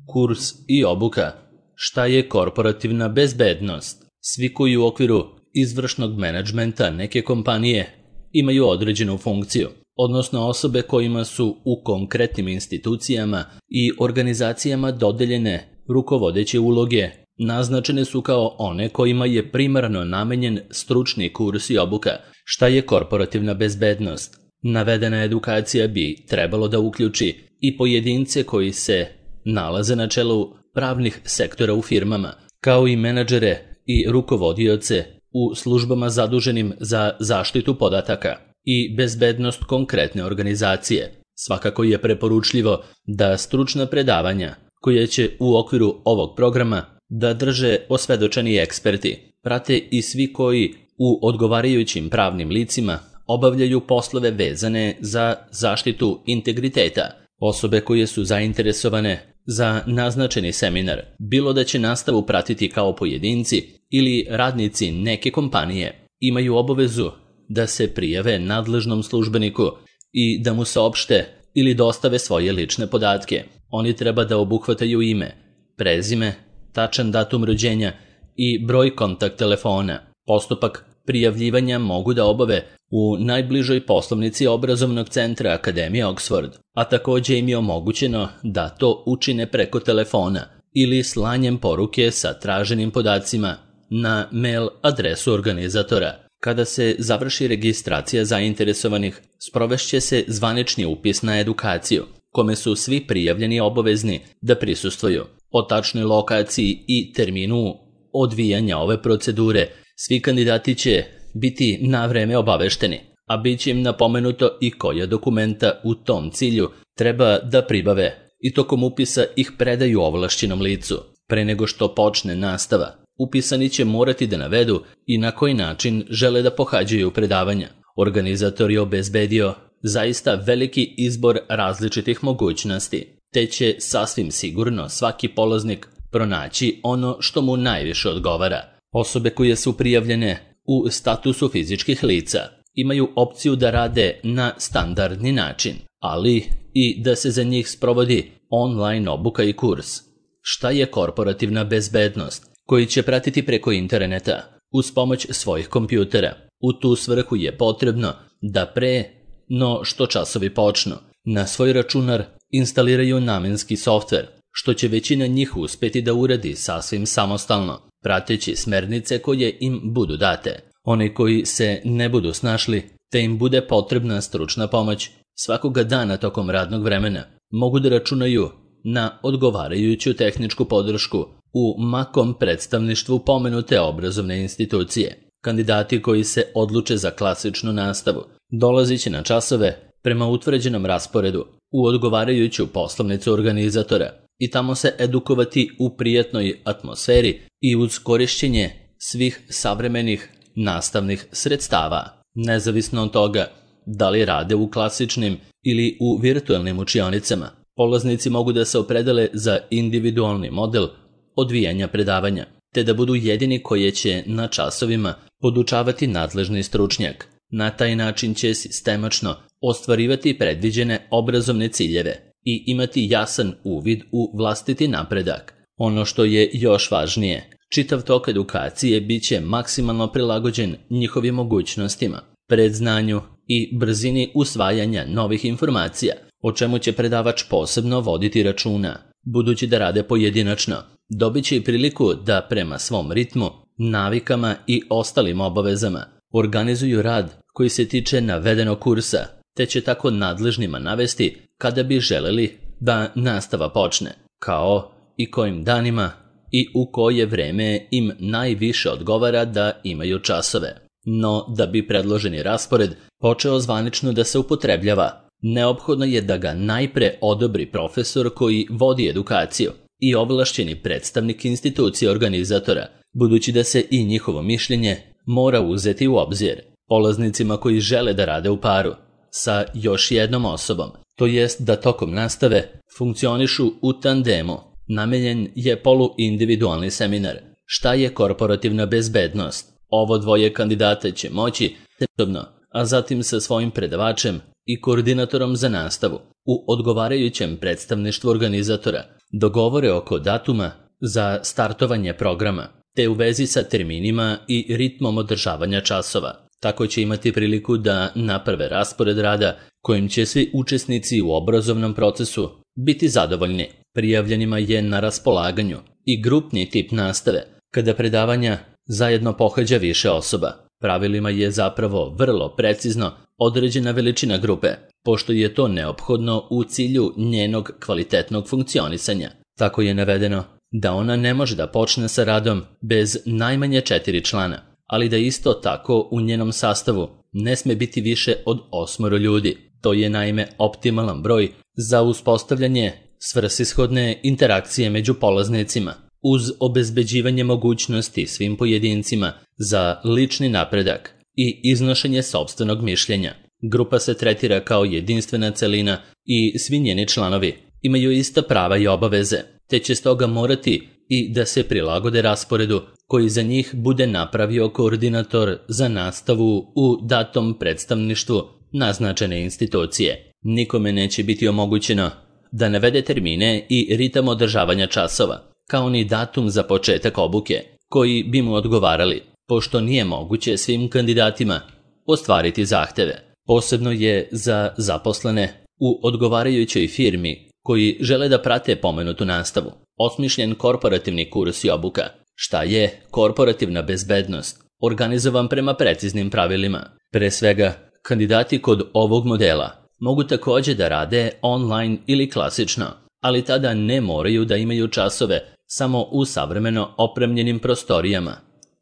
Kurs i obuka. Šta je korporativna bezbednost? Svi koji u okviru izvršnog menadžmenta neke kompanije imaju određenu funkciju, odnosno osobe kojima su u konkretnim institucijama i organizacijama dodeljene rukovodeće uloge, naznačene su kao one kojima je primarno namenjen stručni kurs i obuka. Šta je korporativna bezbednost? Navedena edukacija bi trebalo da uključi i pojedince koji se nalaze na čelu pravnih sektora u firmama, kao i menadžere i rukovodioce u službama zaduženim za zaštitu podataka i bezbednost konkretne organizacije. Svakako je preporučljivo da stručna predavanja koje će u okviru ovog programa da drže osvedočeni eksperti, prate i svi koji u odgovarajućim pravnim licima obavljaju poslove vezane za zaštitu integriteta. Osobe koje su zainteresovane za naznačeni seminar, bilo da će nastavu pratiti kao pojedinci ili radnici neke kompanije, imaju obavezu da se prijave nadležnom službeniku i da mu saopšte ili dostave svoje lične podatke. Oni treba da obuhvataju ime, prezime, tačan datum rođenja i broj kontakt telefona. Postupak prijavljivanja mogu da obave u najbližoj poslovnici obrazovnog centra Akademije Oxford, a takođe im je omogućeno da to učine preko telefona ili slanjem poruke sa traženim podacima na mail adresu organizatora. Kada se završi registracija zainteresovanih, sprovešće se zvanični upis na edukaciju, kome su svi prijavljeni obavezni da prisustvuju. O tačnoj lokaciji i terminu odvijanja ove procedure svi kandidati će biti na vreme obavešteni, a bit će im napomenuto i koja dokumenta u tom cilju treba da pribave i tokom upisa ih predaju ovlašćenom licu. Pre nego što počne nastava, upisani će morati da navedu i na koji način žele da pohađaju predavanja. Organizator je obezbedio zaista veliki izbor različitih mogućnosti, te će sasvim sigurno svaki polaznik pronaći ono što mu najviše odgovara. Osobe koje su prijavljene u statusu fizičkih lica imaju opciju da rade na standardni način, ali i da se za njih sprovodi online obuka i kurs. Šta je korporativna bezbednost? Koji će pratiti preko interneta uz pomoć svojih kompjutera. U tu svrhu je potrebno da pre no što časovi počnu na svoj računar instaliraju namenski softver, što će većina njih uspeti da uradi sasvim samostalno, prateći smernice koje im budu date. Oni koji se ne budu snašli, te im bude potrebna stručna pomoć, svakoga dana tokom radnog vremena mogu da računaju na odgovarajuću tehničku podršku u makom predstavništvu pomenute obrazovne institucije. Kandidati koji se odluče za klasičnu nastavu dolazit će na časove prema utvrđenom rasporedu u odgovarajuću poslovnicu organizatora i tamo se edukovati u prijatnoj atmosferi i uz korišćenje svih savremenih nastavnih sredstava. Nezavisno od toga da li rade u klasičnim ili u virtualnim učionicama, polaznici mogu da se opredele za individualni model odvijanja predavanja, te da budu jedini koje će na časovima podučavati nadležni stručnjak. Na taj način će sistemačno ostvarivati predviđene obrazovne ciljeve i imati jasan uvid u vlastiti napredak. Ono što je još važnije, čitav tok edukacije bit će maksimalno prilagođen njihovim mogućnostima, predznanju i brzini usvajanja novih informacija, o čemu će predavač posebno voditi računa. Budući da rade pojedinačno, dobit će i priliku da prema svom ritmu, navikama i ostalim obavezama organizuju rad koji se tiče navedenog kursa, te će tako nadležnima navesti kada bi želeli da nastava počne, kao i kojim danima i u koje vreme im najviše odgovara da imaju časove. No, da bi predloženi raspored počeo zvanično da se upotrebljava, neophodno je da ga najpre odobri profesor koji vodi edukaciju i ovlašćeni predstavnik institucije organizatora, budući da se i njihovo mišljenje mora uzeti u obzir. Polaznicima koji žele da rade u paru sa još jednom osobom, to jest da tokom nastave funkcionišu u tandemu, namenjen je poluindividualni seminar. Šta je korporativna bezbednost? Ovo dvoje kandidata će moći međusobno, a zatim sa svojim predavačem i koordinatorom za nastavu u odgovarajućem predstavništvu organizatora dogovore oko datuma za startovanje programa, te u vezi sa terminima i ritmom održavanja časova. Tako će imati priliku da naprave raspored rada kojim će svi učesnici u obrazovnom procesu biti zadovoljni. Prijavljenima je na raspolaganju i grupni tip nastave, kada predavanja zajedno pohađa više osoba. Pravilima je zapravo vrlo precizno određena veličina grupe, pošto je to neophodno u cilju njenog kvalitetnog funkcionisanja. Tako je navedeno da ona ne može da počne sa radom bez najmanje 4 člana, ali da isto tako u njenom sastavu ne sme biti više od 8 ljudi. To je naime optimalan broj za uspostavljanje svrsishodne interakcije među polaznicima, uz obezbeđivanje mogućnosti svim pojedincima za lični napredak i iznošenje sopstvenog mišljenja. Grupa se tretira kao jedinstvena celina i svi njeni članovi imaju ista prava i obaveze, te će stoga morati i da se prilagode rasporedu koji za njih bude napravio koordinator za nastavu u datom predstavništvu naznačene institucije. Nikome neće biti omogućeno da navede termine i ritam održavanja časova, kao ni datum za početak obuke, koji bi mu odgovarali, pošto nije moguće svim kandidatima ostvariti zahteve. Posebno je za zaposlene u odgovarajućoj firmi koji žele da prate pomenutu nastavu osmišljen korporativni kurs i obuka. Šta je korporativna bezbednost? Organizovan prema preciznim pravilima. Pre svega, kandidati kod ovog modela mogu također da rade online ili klasično, ali tada ne moraju da imaju časove samo u savremeno opremljenim prostorijama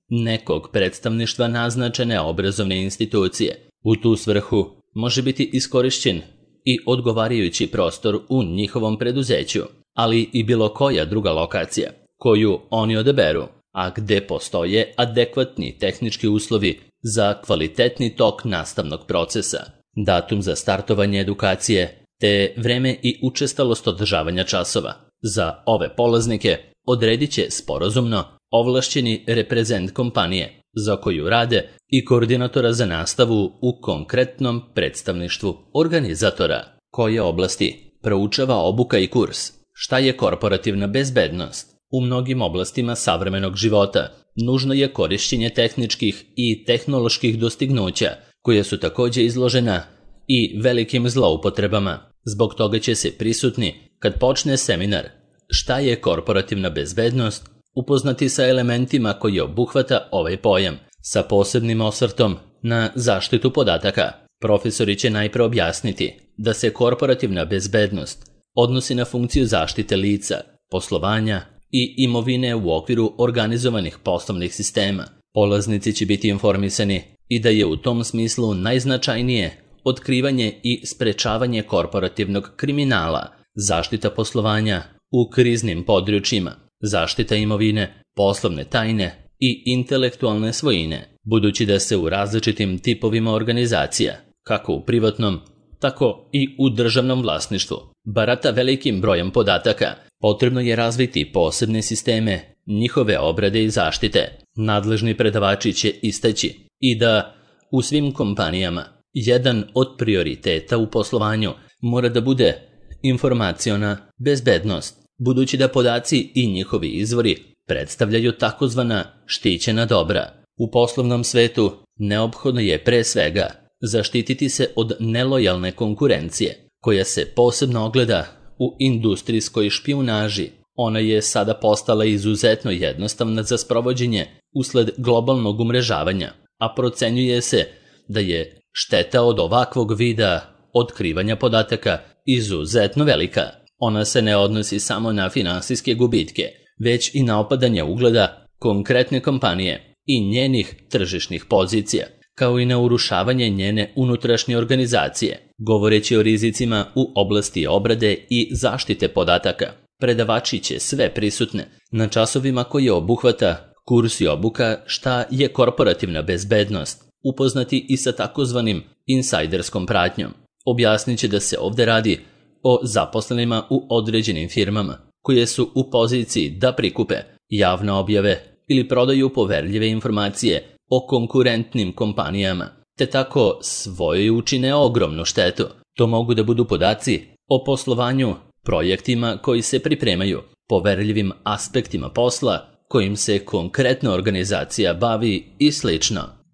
nekog predstavništva naznačene obrazovne institucije. U tu svrhu može biti iskorišćen i odgovarajući prostor u njihovom preduzeću, ali i bilo koja druga lokacija koju oni odaberu, a gde postoje adekvatni tehnički uslovi za kvalitetni tok nastavnog procesa. Datum za startovanje edukacije te vreme i učestalost održavanja časova za ove polaznike odredit će sporazumno ovlašćeni reprezent kompanije za koju rade i koordinatora za nastavu u konkretnom predstavništvu organizatora. Koje oblasti proučava obuka i kurs? Šta je korporativna bezbednost? U mnogim oblastima savremenog života nužno je korišćenje tehničkih i tehnoloških dostignuća, koje su također izložena i velikim zloupotrebama. Zbog toga će se prisutni, kad počne seminar Šta je korporativna bezbednost, upoznati sa elementima koji obuhvata ovaj pojam, sa posebnim osvrtom na zaštitu podataka. Profesori će najpre objasniti da se korporativna bezbednost odnosi na funkciju zaštite lica, poslovanja i imovine u okviru organizovanih poslovnih sistema. Polaznici će biti informisani i da je u tom smislu najznačajnije otkrivanje i sprečavanje korporativnog kriminala, zaštita poslovanja u kriznim područjima, zaštita imovine, poslovne tajne i intelektualne svojine, budući da se u različitim tipovima organizacija, kako u privatnom, tako i u državnom vlasništvu, barata velikim brojem podataka, potrebno je razviti posebne sisteme njihove obrade i zaštite. Nadležni predavači će istaći i da u svim kompanijama jedan od prioriteta u poslovanju mora da bude informaciona bezbednost, budući da podaci i njihovi izvori predstavljaju takozvana štićena dobra. U poslovnom svetu neophodno je pre svega zaštititi se od nelojalne konkurencije, koja se posebno ogleda u industrijskoj špijunaži. Ona je sada postala izuzetno jednostavna za sprovođenje usled globalnog umrežavanja, a procenjuje se da je šteta od ovakvog vida otkrivanja podataka izuzetno velika. Ona se ne odnosi samo na finansijske gubitke, već i na opadanje ugleda konkretne kompanije i njenih tržišnih pozicija, kao i na urušavanje njene unutrašnje organizacije. Govoreći o rizicima u oblasti obrade i zaštite podataka, predavači će sve prisutne na časovima koje obuhvata kurs i obuka Šta je korporativna bezbednost upoznati i sa takozvanim insajderskom pratnjom. Objasnit će da se ovdje radi o zaposlenima u određenim firmama koje su u poziciji da prikupe javne objave ili prodaju poverljive informacije o konkurentnim kompanijama te tako svojoj učine ogromnu štetu. To mogu da budu podaci o poslovanju, projektima koji se pripremaju, poverljivim aspektima posla kojim se konkretno organizacija bavi i sl.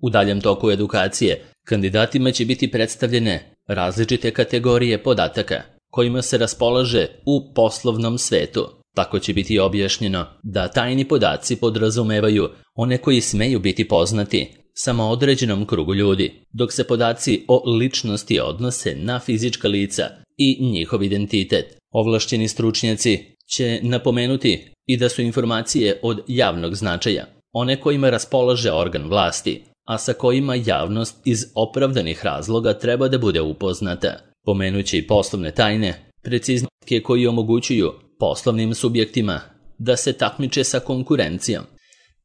U daljem toku edukacije kandidatima će biti predstavljene različite kategorije podataka kojima se raspolaže u poslovnom svetu. Tako će biti objašnjeno da tajni podaci podrazumevaju one koji smeju biti poznati samo određenom krugu ljudi, dok se podaci o ličnosti odnose na fizička lica i njihov identitet. Ovlašćeni stručnjaci će napomenuti i da su informacije od javnog značaja, one kojima raspolaže organ vlasti, a sa kojima javnost iz opravdanih razloga treba da bude upoznata. Pomenuće i poslovne tajne, preciznike koji omogućuju poslovnim subjektima da se takmiče sa konkurencijom,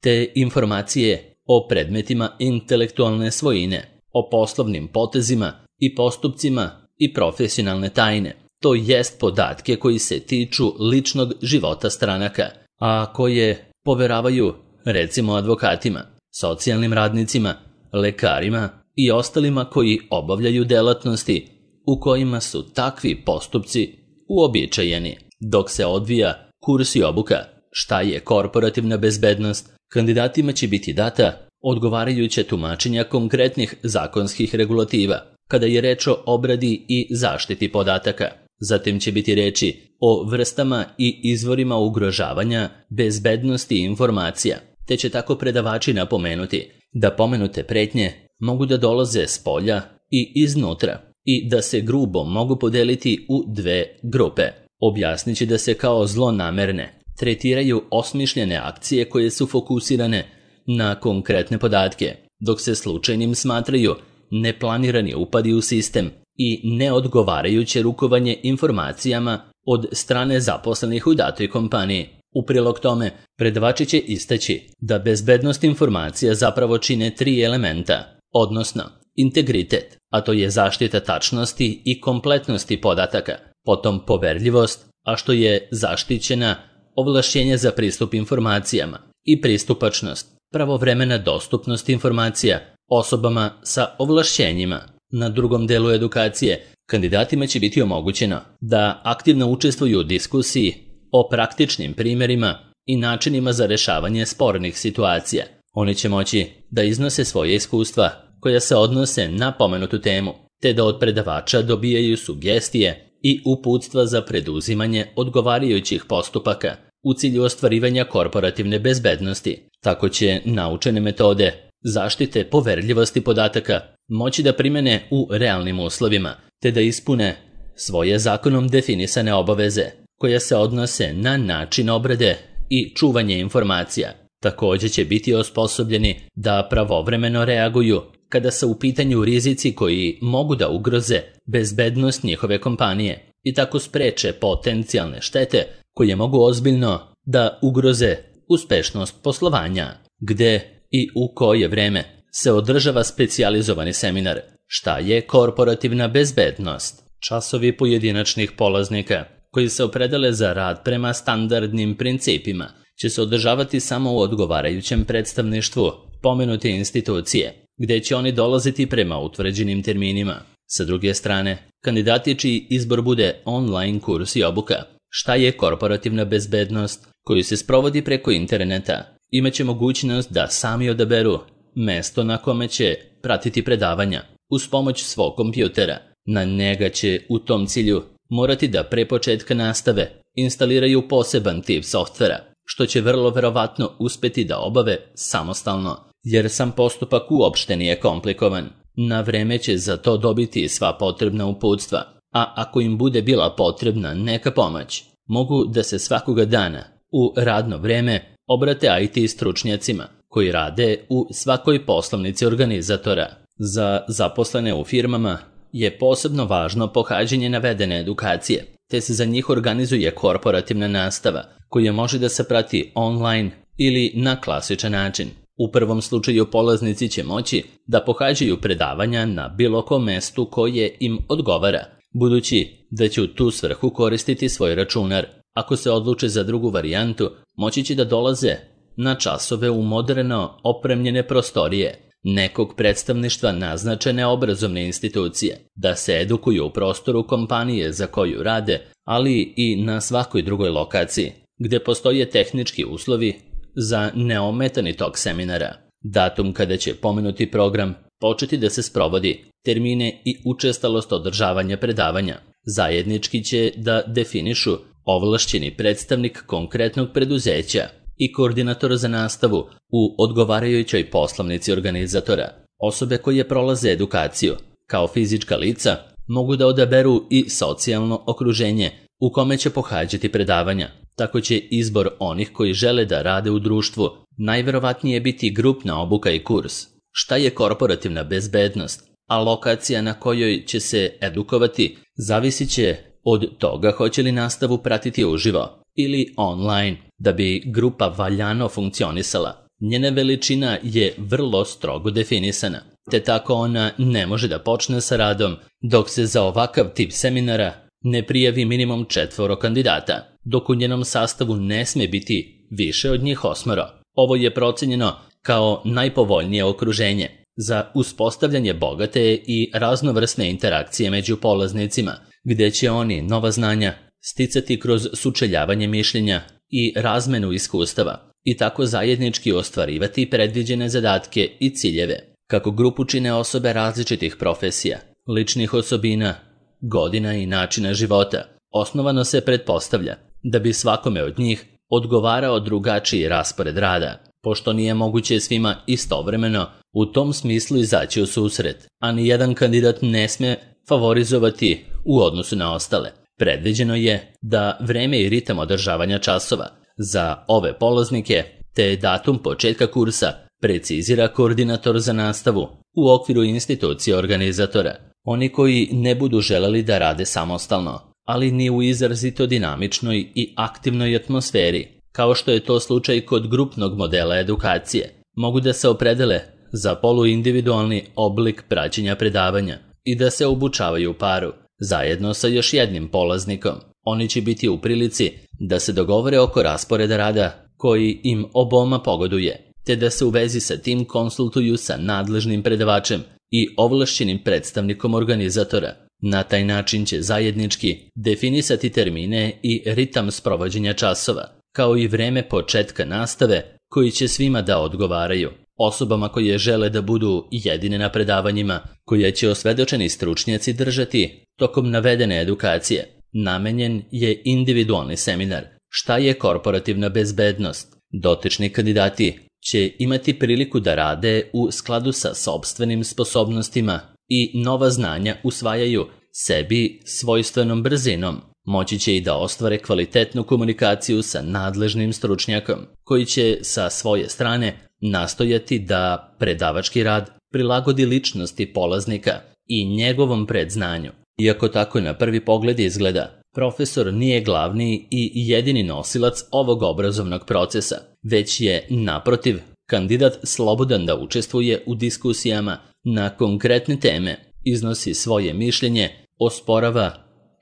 te informacije o predmetima intelektualne svojine, o poslovnim potezima i postupcima i profesionalne tajne. To jest podatke koji se tiču ličnog života stranaka, a koje poveravaju recimo advokatima, socijalnim radnicima, lekarima i ostalima koji obavljaju delatnosti u kojima su takvi postupci uobičajeni. Dok se odvija kurs i obuka šta je korporativna bezbednost, kandidatima će biti data odgovarajuća tumačenja konkretnih zakonskih regulativa kada je reč o obradi i zaštiti podataka. Zatim će biti reči o vrstama i izvorima ugrožavanja bezbednosti informacija, te će tako predavači napomenuti da pomenute pretnje mogu da dolaze s polja i iznutra i da se grubo mogu podeliti u dve grupe. Objasnit će da se kao zlonamerne tretiraju osmišljene akcije koje su fokusirane na konkretne podatke, dok se slučajnim smatraju neplanirani upadi u sistem i neodgovarajuće rukovanje informacijama od strane zaposlenih u datoj kompaniji. U prilog tome, predavači će istaći da bezbednost informacija zapravo čine 3 elementa, odnosno integritet, a to je zaštita tačnosti i kompletnosti podataka, potom poverljivost, a što je zaštićena ovlašćenje za pristup informacijama, i pristupačnost, pravovremena dostupnost informacija osobama sa ovlašćenjima. Na drugom delu edukacije kandidatima će biti omogućeno da aktivno učestvuju u diskusiji o praktičnim primjerima i načinima za rešavanje spornih situacija. Oni će moći da iznose svoje iskustva koja se odnose na pomenutu temu, te da od predavača dobijaju sugestije i uputstva za preduzimanje odgovarajućih postupaka u cilju ostvarivanja korporativne bezbednosti. Tako će naučene metode zaštite poverljivosti podataka moći da primene u realnim uslovima, te da ispune svoje zakonom definisane obaveze koje se odnose na način obrade i čuvanje informacija. Također će biti osposobljeni da pravovremeno reaguju kada su u pitanju rizici koji mogu da ugroze bezbednost njihove kompanije i tako spreče potencijalne štete koje mogu ozbiljno da ugroze uspešnost poslovanja. Gde i u koje vreme se održava specijalizovani seminar Šta je korporativna bezbednost? Časovi pojedinačnih polaznika koji se opredele za rad prema standardnim principima će se održavati samo u odgovarajućem predstavništvu pomenute institucije, gde će oni dolaziti prema utvrđenim terminima. Sa druge strane, kandidati čiji izbor bude online kurs i obuka Šta je korporativna bezbednost, koji se sprovodi preko interneta, imaće mogućnost da sami odaberu mesto na kome će pratiti predavanja uz pomoć svog kompjutera. Na njega će u tom cilju morati da pre početka nastave instaliraju poseban tip softvera, što će vrlo verovatno uspeti da obave samostalno, jer sam postupak uopšte nije komplikovan. Na vreme će za to dobiti sva potrebna uputstva, a ako im bude bila potrebna neka pomoć, mogu da se svakoga dana u radno vreme obrate IT stručnjacima koji rade u svakoj poslovnici organizatora. Za zaposlene u firmama je posebno važno pohađanje navedene edukacije, te se za njih organizuje korporativna nastava koja može da se prati online ili na klasičan način. U prvom slučaju polaznici će moći da pohađaju predavanja na bilo kom mestu koje im odgovara, budući da će u tu svrhu koristiti svoj računar. Ako se odluče za drugu varijantu, moći će da dolaze na časove u moderno opremljene prostorije nekog predstavništva naznačene obrazovne institucije, da se edukuju u prostoru kompanije za koju rade, ali i na svakoj drugoj lokaciji, gde postoje tehnički uslovi za neometani tok seminara. Datum kada će pomenuti program početi da se sprovodi, termine i učestalost održavanja predavanja zajednički će da definišu ovlašćeni predstavnik konkretnog preduzeća i koordinator za nastavu u odgovarajućoj poslovnici organizatora. Osobe koje prolaze edukaciju kao fizička lica mogu da odaberu i socijalno okruženje u kome će pohađati predavanja. Tako će izbor onih koji žele da rade u društvu najverovatnije biti grupna obuka i kurs. Šta je korporativna bezbednost, a lokacija na kojoj će se edukovati zavisit će od toga hoće li nastavu pratiti uživo ili online. Da bi grupa valjano funkcionisala, njena veličina je vrlo strogo definisana, te tako ona ne može da počne sa radom dok se za ovakav tip seminara ne prijavi minimum 4 kandidata, dok u njenom sastavu ne sme biti više od njih 8. Ovo je procenjeno kao najpovoljnije okruženje za uspostavljanje bogate i raznovrsne interakcije među polaznicima, gde će oni nova znanja sticati kroz sučeljavanje mišljenja i razmenu iskustava i tako zajednički ostvarivati predviđene zadatke i ciljeve. Kako grupu čine osobe različitih profesija, ličnih osobina, godina i načina života, osnovano se pretpostavlja da bi svakome od njih odgovarao drugačiji raspored rada, pošto nije moguće svima istovremeno u tom smislu izaći u susret, a ni jedan kandidat ne sme favorizovati u odnosu na ostale. Predviđeno je da vreme i ritam održavanja časova za ove polaznike te datum početka kursa precizira koordinator za nastavu u okviru institucije organizatora. Oni koji ne budu želeli da rade samostalno, ali ni u izrazito dinamičnoj i aktivnoj atmosferi, kao što je to slučaj kod grupnog modela edukacije, mogu da se opredele za poluindividualni oblik praćenja predavanja i da se obučavaju u paru, zajedno sa još jednim polaznikom. Oni će biti u prilici da se dogovore oko rasporeda rada koji im oboma pogoduje, te da se u vezi sa tim konsultuju sa nadležnim predavačem i ovlašćenim predstavnikom organizatora. Na taj način će zajednički definisati termine i ritam sprovođenja časova, kao i vreme početka nastave koji će svima da odgovaraju. Osobama koje žele da budu jedine na predavanjima koje će osvedočeni stručnjaci držati tokom navedene edukacije, namenjen je individualni seminar Šta je korporativna bezbednost. Dotični kandidati će imati priliku da rade u skladu sa sopstvenim sposobnostima i nova znanja usvajaju sebi svojstvenom brzinom. Moći će i da ostvare kvalitetnu komunikaciju sa nadležnim stručnjakom, koji će sa svoje strane nastojati da predavački rad prilagodi ličnosti polaznika i njegovom predznanju. Iako tako na prvi pogled izgleda, profesor nije glavni i jedini nosilac ovog obrazovnog procesa, već je, naprotiv, kandidat slobodan da učestvuje u diskusijama na konkretne teme, iznosi svoje mišljenje, osporava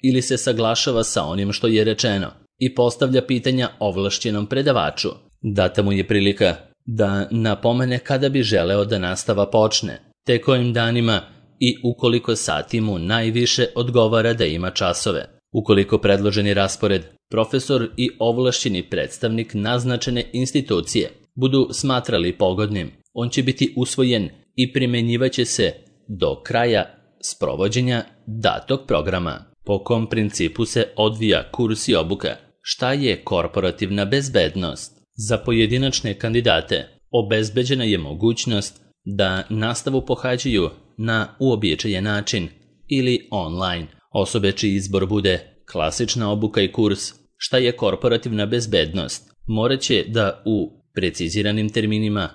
ili se saglašava sa onim što je rečeno i postavlja pitanja ovlašćenom predavaču. Data mu je prilika da napomene kada bi želeo da nastava počne, te kojim danima i ukoliko sati mu najviše odgovara da ima časove. Ukoliko predloženi raspored, profesor i ovlašćeni predstavnik naznačene institucije budu smatrali pogodnim, on će biti usvojen i primenjivaće se do kraja sprovođenja datog programa. Po kom principu se odvija kurs i obuka? Šta je korporativna bezbednost? Za pojedinačne kandidate obezbeđena je mogućnost da nastavu pohađaju na uobičajen način ili online. Osobe čiji izbor bude klasična obuka i kurs Šta je korporativna bezbednost morat će da u preciziranim terminima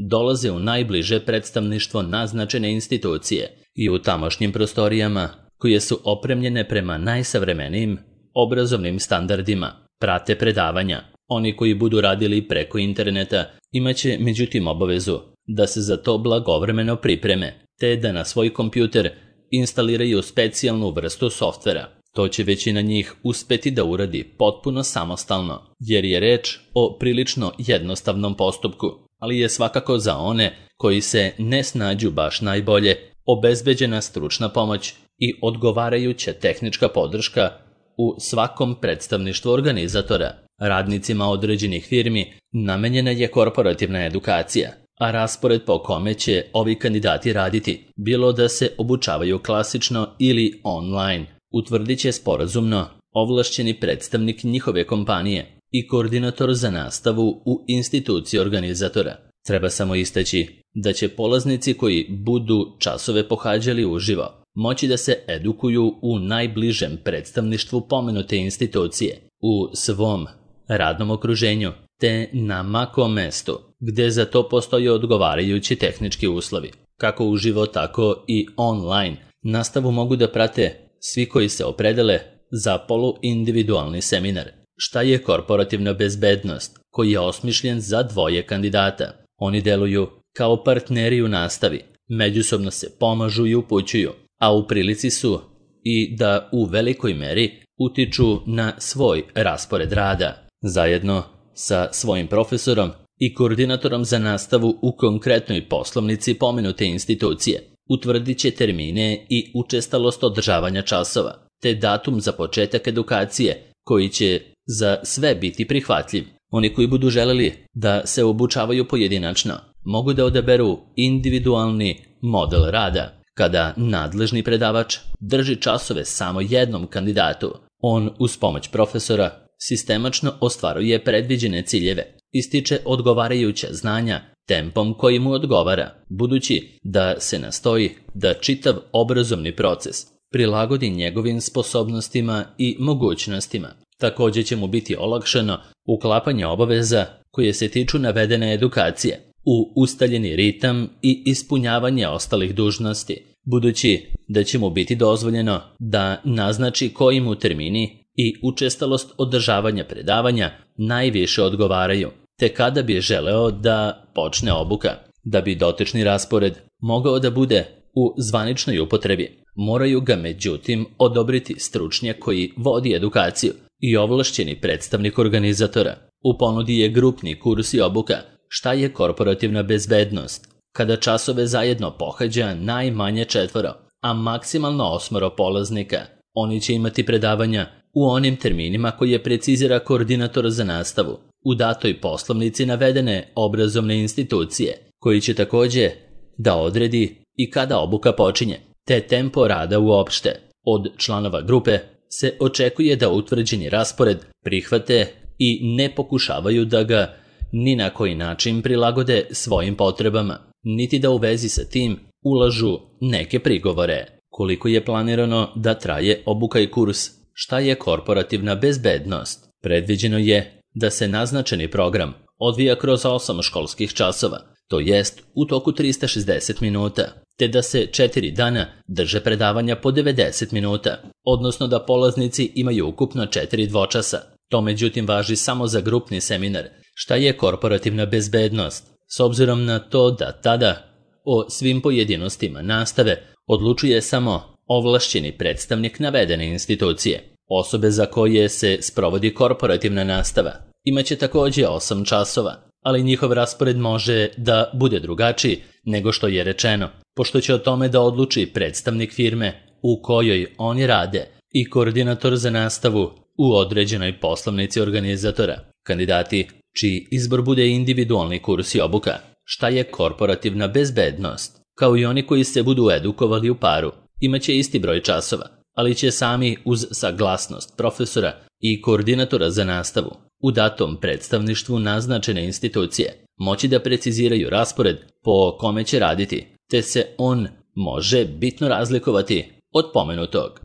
dolaze u najbliže predstavništvo naznačene institucije i u tamošnjim prostorijama koje su opremljene prema najsavremenijim obrazovnim standardima, prate predavanja. Oni koji budu radili preko interneta imaće međutim obavezu da se za to blagovremeno pripreme, te da na svoj kompjuter instaliraju specijalnu vrstu softvera. To će većina njih uspeti da uradi potpuno samostalno, jer je reč o prilično jednostavnom postupku, ali je svakako za one koji se ne snađu baš najbolje, obezbeđena stručna pomoć i odgovarajuća tehnička podrška u svakom predstavništvu organizatora. Radnicima određenih firmi namenjena je korporativna edukacija, a raspored po kome će ovi kandidati raditi, bilo da se obučavaju klasično ili online, utvrdit će sporazumno ovlašćeni predstavnik njihove kompanije i koordinator za nastavu u instituciji organizatora. Treba samo istaći da će polaznici koji budu časove pohađali uživo moći da se edukuju u najbližem predstavništvu pomenute institucije, u svom radnom okruženju, te na makom mestu, gde za to postoje odgovarajući tehnički uslovi. Kako uživo, tako i online. Nastavu mogu da prate svi koji se opredele za poluindividualni seminar. Šta je korporativna bezbednost, koji je osmišljen za dvoje kandidata? Oni deluju kao partneri u nastavi, međusobno se pomažu i upućuju, a u prilici su i da u velikoj meri utiču na svoj raspored rada. Zajedno sa svojim profesorom i koordinatorom za nastavu u konkretnoj poslovnici pomenute institucije utvrdit će termine i učestalost održavanja časova, te datum za početak edukacije koji će za sve biti prihvatljiv. Oni koji budu želeli da se obučavaju pojedinačno mogu da odaberu individualni model rada, kada nadležni predavač drži časove samo jednom kandidatu. On uz pomoć profesora sistemačno ostvaruje predviđene ciljeve, ističe odgovarajuća znanja tempom koji mu odgovara, budući da se nastoji da čitav obrazovni proces prilagodi njegovim sposobnostima i mogućnostima. Također će mu biti olakšano uklapanje obaveza koje se tiču navedene edukacije u ustaljeni ritam i ispunjavanje ostalih dužnosti, budući da će mu biti dozvoljeno da naznači koji mu termini i učestalost održavanja predavanja najviše odgovaraju, te kada bi želeo da počne obuka. Da bi dotični raspored mogao da bude u zvaničnoj upotrebi, moraju ga međutim odobriti stručnjak koji vodi edukaciju i ovlašćeni predstavnik organizatora. U ponudi je grupni kurs i obuka Šta je korporativna bezbednost, kada časove zajedno pohađa najmanje 4, a maksimalno 8 polaznika. Oni će imati predavanja u onim terminima koje precizira koordinator za nastavu u datoj poslovnici navedene obrazovne institucije, koji će također da odredi i kada obuka počinje, te tempo rada uopšte. Od članova grupe se očekuje da utvrđeni raspored prihvate i ne pokušavaju da ga ni na koji način prilagode svojim potrebama, niti da u vezi sa tim ulažu neke prigovore. Koliko je planirano da traje obuka i kurs? Šta je korporativna bezbednost? Predviđeno je da se naznačeni program odvija kroz 8 školskih časova, to jest u toku 360 minuta, te da se 4 dana drže predavanja po 90 minuta, odnosno da polaznici imaju ukupno 4 dvočasa. To međutim važi samo za grupni seminar. Šta je korporativna bezbednost? S obzirom na to da tada o svim pojedinostima nastave odlučuje samo ovlašćeni predstavnik navedene institucije. Osobe za koje se sprovodi korporativna nastava imaće također 8 časova, ali njihov raspored može da bude drugačiji nego što je rečeno, pošto će o tome da odluči predstavnik firme u kojoj oni rade i koordinator za nastavu u određenoj poslovnici organizatora. Kandidati čiji izbor bude individualni kurs i obuka Šta je korporativna bezbednost, kao i oni koji se budu edukovali u paru, imaće isti broj časova, ali će sami uz saglasnost profesora i koordinatora za nastavu u datom predstavništvu naznačene institucije moći da preciziraju raspored po kome će raditi, te se on može bitno razlikovati od pomenutog.